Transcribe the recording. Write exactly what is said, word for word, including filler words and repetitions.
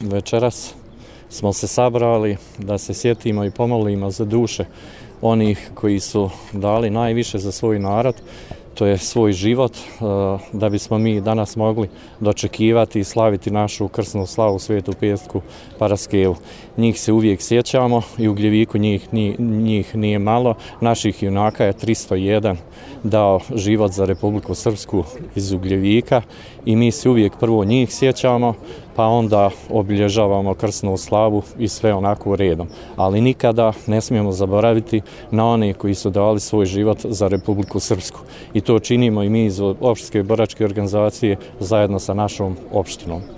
večeras smo se sabrali da se sjetimo i pomolimo za duše onih koji su dali najviše za svoj narod, to je svoj život, da bismo mi danas mogli dočekivati i slaviti našu krsnu slavu Svetu Petku Paraskelu. Njih se uvijek sjećamo i u Gljeviku njih, njih nije malo. Naših junaka je tristo jedan dao život za Republiku Srpsku iz Ugljevika i mi se uvijek prvo njih sjećamo, pa onda obilježavamo krsnu slavu i sve onako redom. Ali nikada ne smijemo zaboraviti na one koji su dali svoj život za Republiku Srpsku. I to činimo i mi iz opštinske boračke organizacije zajedno sa našom opštinom.